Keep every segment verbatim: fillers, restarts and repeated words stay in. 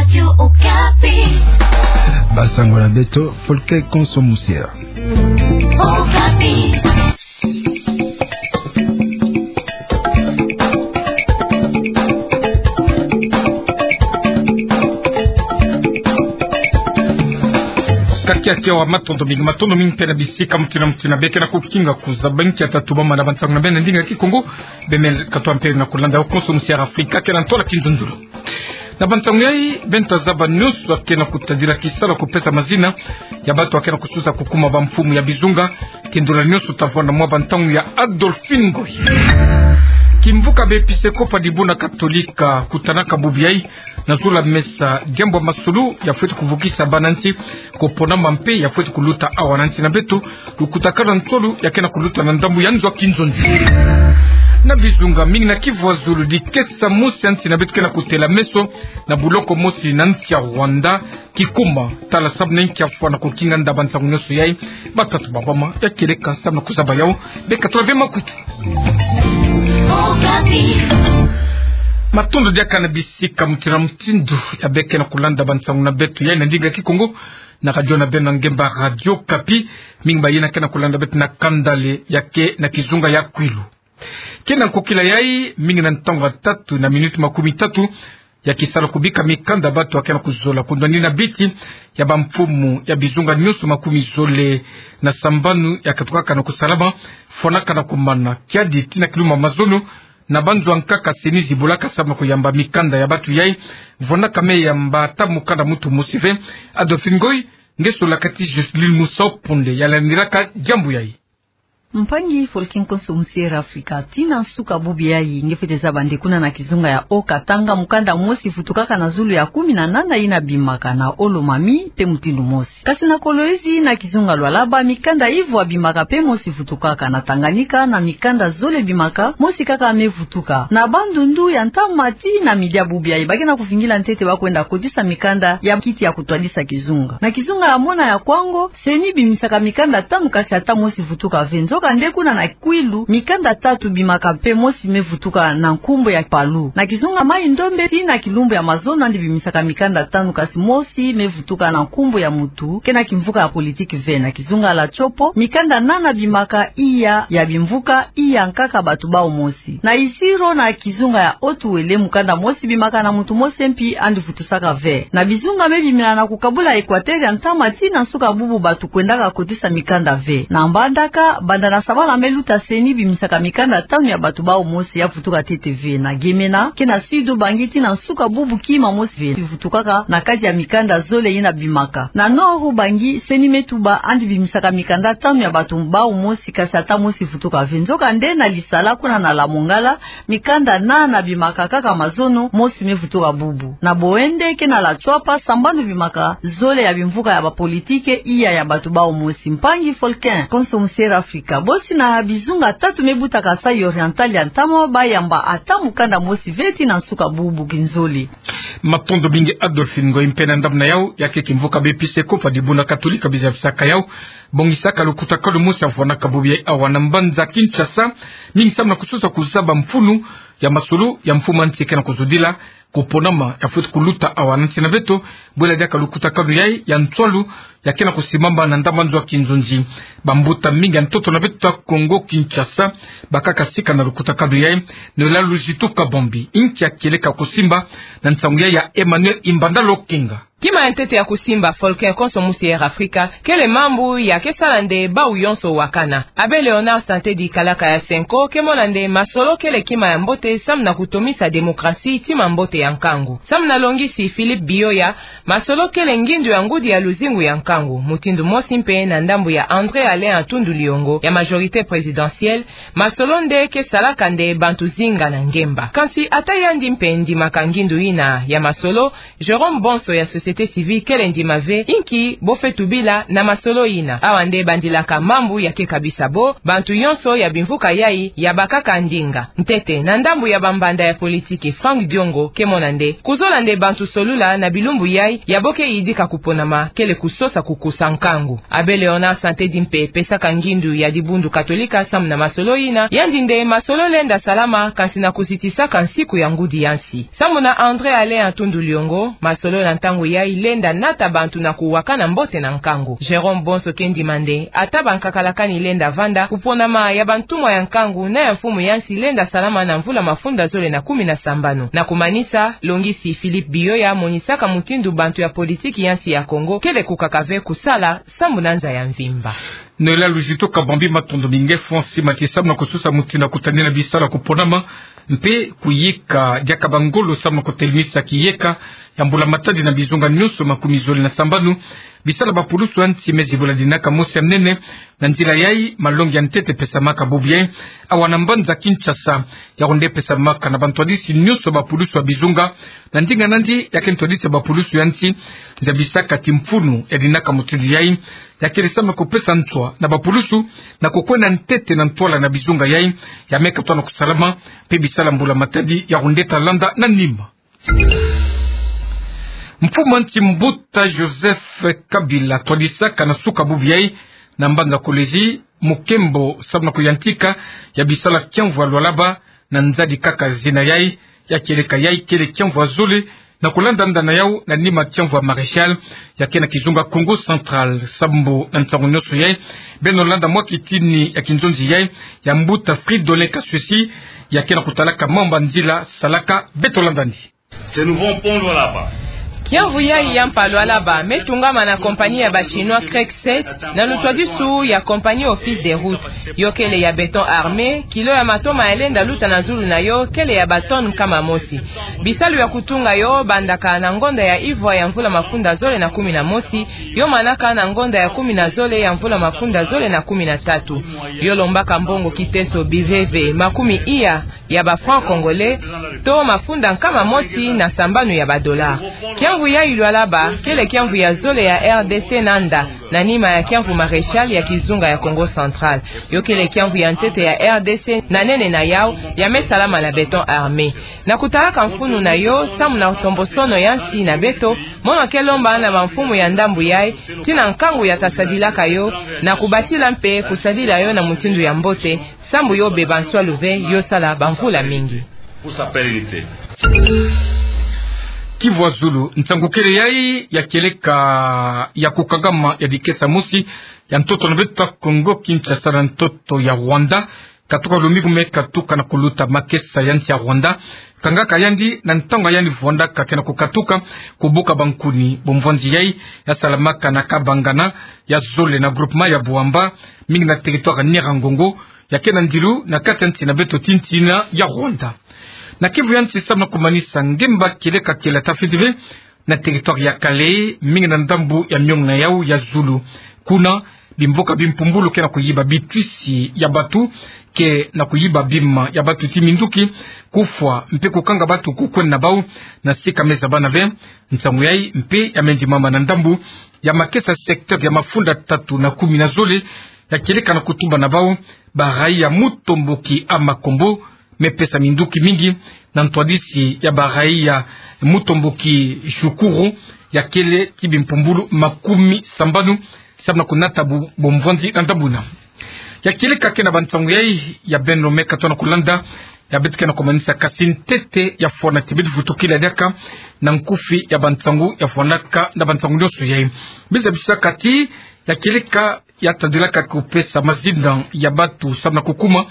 Radio Okapi. Basango na beto, Folke Konso Musiera. Okapi. Ka kiaki awa, matondo mingi, matondo mingi mpe na bisika mutindu na mutindu beke na kukinga kuzaba nkia tatubama na bantangu na beno na ndinga Kikongo. Bemele katwa mpe na kulanda yo Konso Musiera Afrika kena ntola kinzonzolo. Na bantangu yayi, beno ta zaba nyonso akena kutadila kisalu ya kupesa mazina ya bantu akena kususa kukuma bamfumu ya bizunga. Kindola nyonso ta vwanda mwa bantangu ya Adolphine Ngoy. Kimvuka b'Episekopo ya Dibundu Katolika kutanaka bubu yayi na zulu ya mesa diambu ya masolo ya fweti kuvukisa bana nsi, kuponama mpe ya fweti kuluta awa na nsi na beto, lukutakanu ya nsolo ya kena kuluta na ndambu ya nzo ya kinzonzi. Na bizunga mingi na Kivu ya Zulu, dikesa mosi ya nsi na beto kena kutela meso na buloko mosi na nsi ya Rwanda, kikuma tala samu na nkia fwa na kukinga nda. Bantangu nyonso yayi, batatu babwama ya kieleka samu na kuzaba yawu. Beka tula ve makutu. Matondo diaka na bisika mutindu na mutindu ya beke na kulanda bantangu na beto yayi na ndinga Kikongo na radio na beno ya ngemba Radio Okapi. Mingi bayina kena kulanda beto na kanda le ya ke na kizunga ya Kwilu. Kena nkokila yayi, mingi na ntangu ya tatu na minuti makumi tatu ya kisalu kubika mikanda bantu akena kuzola kundwanina biti ya bamfumu ya bizunga nyonso makumi zole na sambanu ya katukaka na kusalama, fwanaka na kumana kiadi tii na kilumbu ya mazono. Na banzo ya nkaka CENI zibulaka samu na kuyamba mikanda ya bantu yayi, vwanaka me yamba ata mukanda muntu mosi ve. Adolphine Ngoy, nge sola kati Jocelyne Musa Ponde ya landilaka diambu yayi. Mpangi Folke Konso Musiera Afrika, tii na nsuka bubu yayi, nge fwete zaba nde kuna na kizunga ya Haut-Katanga, mukanda mosi vutukaka na zulu ya kumi na nana yina bimaka na Haut-Lomami mpe mutindu mosi. Kasi na Kolwezi, na kizunga Lualaba, mikanda ivwa bimaka mpe mosi vutukaka. Na Tanganyika, na mikanda zole bimaka, mosi kaka me vutuka. Na Bandundu ya ntama tii na midi ya bubu yayi, bakena kuvingila ntete ba kwenda kotisa mikanda ya kiti ya kutwadisa kizunga. Na kizunga ya mona ya Kwango, CENI bimisaka mikanda tanu kasi ata mosi vutuka ve. Nzokande kuna na Kwilu, mikanda tatu bimaka mpe mosi me vutuka na nkumbu ya Palu. Na kizunga Mai-Ndombe tii na kilumbu ya mazono yandi bimisaka mikanda tanu kasi mosi me vutuka na nkumbu ya muntu kena kimvuka ya politiki ve. Na kizunga la Tshopo, mikanda nana bimaka, iya ya bimvuka, iya nkaka bantu bawu mosi. Na Isiro na kizunga ya Haut-Uele, mukanda mosi bimaka na muntu mosi mpi yandi vutusaka ve. Na bizunga me bimina na kukabula Equateur ya ntama tii na nsuka bubu bantu kwendaka kotisa mikanda ve. Na Mbandaka, banda na sabala me luta, CENI bimisaka mikanda tanu ya bantu bawu mosi ya vutuka ntete ve. Na Gemena, kena Sud-Ubangi, tii na nsuka bubu kima mosi ve vutukaka na kati ya mikanda zole yina bimaka. Na Nord-Ubangi, CENI me tuba yandi bimisaka mikanda tanu ya bantu bawu mosi kasi ata mosi vutuka ve. Nzokande na Lisala kuna na Lamongala, mikanda nana bimaka kaka mazono, mosi me vutuka bubu. Na Boende kena la Tshuapa, sambanu bimaka, zole ya bimvuka ya bapolitike, iya ya bantu bawu mosi. Mpangi Folke Konso Musiera Afrika, bosi na bizunga tatu me buta Kasaï Oriental ya ntama, bayamba ata mukanda mosi ve tii na nsuka bubu. Kinzole. Matondo mingi Adolphine Ngoy. Mpe na ndambu na yawu, ya ke kimvuka b'Episekopo ya Dibundu Katolika biza bisaka yawu bongisaka lukutakanu mosi ya vwanaka bubu yayi awa na mbanza Kinshasa, mingi samu na kusosa kuzaba mfunu ya masolo ya mfumu ya nsi kena kuzudila, kuponama ya fweti kuluta awa na nsi na beto, bwela diaka lukutakanu yayi ya nswalu ya kena kusimbama na ndambu ya nzo ya kinzonzi. Bambuta mingi ya ntoto na beto ya Kongo Kinshasa bakaka sika na lukutakanu yayi. Noëlla Luzitu Kabambi, inki ya kieleka kusimba na nsangu yayi ya Emmanuel Imbanda Lokenga? Kima ya ntete ya kusimba, Folke Konso Musiera Afrika, kele mambu ya ke sala nde bawu yonso wakana. Abbé Léonard Santedi, kalaka ya Cenco, ke mona nde masolo kele kima ya mbote samu na kutomisa démocratie, tima mbote ya nkangu. Samu na longisi Philippe Bioya, masolo kele ngindu ya ngudi ya luzingu ya nkangu. Mutindu mosi mpe na ndambu ya André Alain Atundu Liongo ya majorité présidentielle, masolo nde ke salaka nde bantu zinga na ngemba. Kansi ata yandi mpe ndimaka ngindu yina ya masolo, Jérôme Bonso ya société société civile kele ndima ve, inki bo fwe tubila na masolo yina. Awa nde bandilaka mambu ya ke kabisa bo, bantu yonso ya bimvuka yayi ya bakaka ndinga. Ntete, na ndambu ya bambanda ya politiki, Franck Diongo ke mona nde kuzola nde bantu solula na bilumbu yayi, ya bo ke yidika kuponama, kele kusosa kukusa nkangu. Abbé Léonard Santedi mpe pesaka ngindu ya dibundu Katolika samu na masolo yina, yandi nde masolo lenda salama, kansi na kuzitisaka nsiku ya ngudi ya nsi. Samu na André Alain Atundu Liongo, masolo na ntangu yayi lenda nata bantu na kuwakana mbote na nkangu. Jérôme Bonso ke ndima nde, ata bankakalakani lenda vanda, kuponama ya bantumwa ya nkangu na ya mfumu ya nsi lenda salama na mvula mafunda zole na kumi na sambanu. Na kumanisa, longisi Philippe Biyoya monisaka mutindu bantu ya politiki ya nsi ya Congo kele kukaka ve kusala sambu na nza ya mvimba. Noëlla Luzito Kabambi, matondo mingi. F O N C matisa samu na kusosa mutindu ya kutadina bisalu ya kuponama mpe kuyika diaka bangolo samu na kutelemisa kiyeka ya mbula matadi na bizunga nyonso makumi zole na sambanu. Bisalu ya bapulusu ya nsi me zibula dinaka mosi ya nene. Na nzila yayi, malongi ya ntete pesamaka bubu yayi awa na mbanza Kinshasa. Yawu nde pesamaka na bantwadisi nyonso ya bapulusu ya bizunga. Na ndinga nandi, ya ke ntwadisi ya bapulusu ya nsi, nza bisaka ti mfunu ya dinaka mutindu yayi, ya kele samu na kupesa nswa na bapulusu na kukwenda ntete na ntwala na bizunga yayi ya me katoa na kusalama, mpe bisalu ya mbula matadi yawu nde ta landa na nima. Mfumu ya nsi Mbuta Joseph Kabila twadisaka na suka bubu yayi na mbanza Kolwezi mukembo samu na kuyantika ya bisalu ya kiamvu ya Lualaba, na nzadi kaka zina yayi. Ya kieleka yayi kele kiamvu ya zole na kulanda ndana yawu na nima kiamvu ya Maréchal ya ke na kizunga Kongo Central. Sambu na nsangu nyonso yayi, beno landa mwa kitini ya kinzonzi yayi ya Mbuta Fridolin Kaswesi, ya ke na kutalaka mambu ya nzila salaka. Beto landani. Ce nouveau pont Lualaba. Kiamvu yayi ya mpa Lualaba me tungama na compagnie ya ba Chinois Craigset na lutwadisu ya compagnie Office des Routes. Yo kele ya béton armé, kilo ya matoma ya lenda luta na zulu na yo kele ya ba tonnes nkama mosi. Bisalu ya kutunga yo bandaka na ngonda ya ivwa ya mvula mafunda zole na kumi na mosi, yo manaka na ngonda ya kumi na zole ya mvula mafunda zole na kumi na tatu. Yo lombaka mbongo kiteso biveve makumi iya ya ba francs congolais, to mafunda nkama mosi na sambanu ya ba dollars. Kiamvu yayi Lualaba kele kiamvu ya zole ya R D C nanda, na nima ya kiamvu Maréchal ya kizunga ya Kongo Central. Yo kele kiamvu ya ntete ya R D C na nene na yawu, ya me salama na béton armé. Na kutalaka mfunu na yo samu na ntombosono ya nsi na beto, mono ke lomba na bamfumu ya ndambu yayi, tii na nkangu ya ta sadilaka yo, na kubatila mpe kusadila yo na mutindu ya mbote, sambu yo beba nswalu ve, yo sala bamvula mingi. Pour sa pérennité. Kivu ya zulu, nsangu kele yayi ya kieleka ya kukangama ya dikesa mosi ya ntoto na beto Kongo Kinshasa na ntoto ya Rwanda. Katuka lomingu me katuka na kuluta makesa ya nsi ya Rwanda. Kangaka yandi na ntangu yandi vwandaka ke na kukatuka kubuka bankuni. Bomvwanzi yayi ya salamaka na Kabangana ya zole na groupement ya Bouamba, mingi na territoire Nyiragongo, ya ke na ndilu na kati ya nsi na beto tii nsi ya Rwanda. Na Kivu ya nsi, samu na kumanisa, ngemba kieleka kiela ta fiti ve na territoire ya Kalehe, mingi na ndambu ya miongo na yawu ya zulu. Kuna, bimvuka bimpumbulu ke na kuyiba bitwisi ya batu, ke na kuyiba bima ya batu tii minduki, kufwa mpe kukanga batu kukwenda na bawu na sika me zabana ve. Nsangu yayi mpe ya me ndimama na ndambu ya makesa secteur ya mafunda tatu na kumi na zole, ya kieleka na kutumba na bawu ba raïa Mutomboki à Makombo, me pesa minduki mingi na ntwadisi ya ba raïa Mutomboki Shukuru, ya kele tii bimpumbulu makumi sambanu, samu na kunata bu-, bomvwanzi na ndambu yina. Ya kieleka ke na bansangu yayi ya beno me katoa na kulanda, ya beto ke na kumanisa, kasi ntete ya fwana ti beto vutukila diaka na nkufi ya bansangu ya fwanaka na bansangu nyonso yayi. Biza bisaka ti ya kieleka ya tadilaka kupesa mazinda ya batu samu na kukuma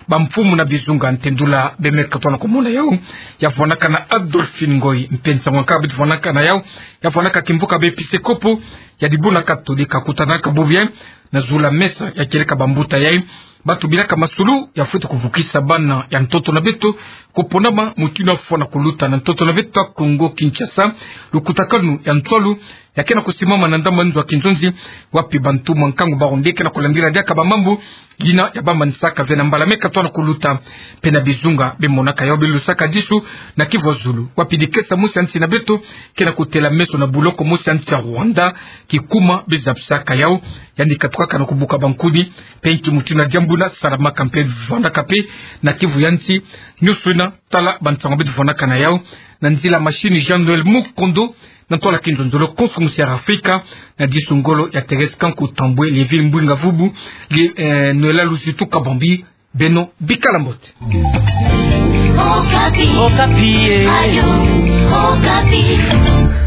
bamfumu na bizunga, ntendula beno me katoa na kumona yawu, ya vwanaka na Adolphine Ngoy, mpe nsangu ya nkaka beto vwanaka na yawu, ya vwanaka kimvuka ba episkopo ya dibundu Katolika kutanaka bubu yayi na zulu ya mesa, ya kieleka bambuta yayi batubilaka masulu ya fweti kuvukisa bana ya ntoto na beto koponama mutindu afwana kuluta na ntoto na beto ya Kongo Kinshasa, lukutakanu ya nswalu ya ke na kusimama na ndambu nzo ya kinzonzi, wapi bantu mwa nkangu baronde ke na kulambila diaka bamambu yina ya bamanisaka ve na mbala me katwa na kuluta. Mpe na bizunga bemonaka yau, belusaka disu na kivu ya zulu, wapi dikesa mosi ya nsi na beto ke na kutela meso na buloko mosi ya nsi ya Rwanda, kikuma bezabisaka yau, yandi katukaka na kubuka bankuni. Mpe nki mutindu na diambu yina salamaka mpe vwandaka mpe na kivu ya nsi nyonso yina? Tala bansangu beto vwandaka na yau na nzila machine Jean-Noël Mukondo, na ntwala kinzonzolo konso musi ya Afrika, na disu ngolo ya Thérèse Kanku Tambwe, Léville Mbwinga Vubu, Li-, eh, Noëlla Luzitu Kabambi. Beno bikala mbote. Okapi. Okapi, eh. Radio Okapi.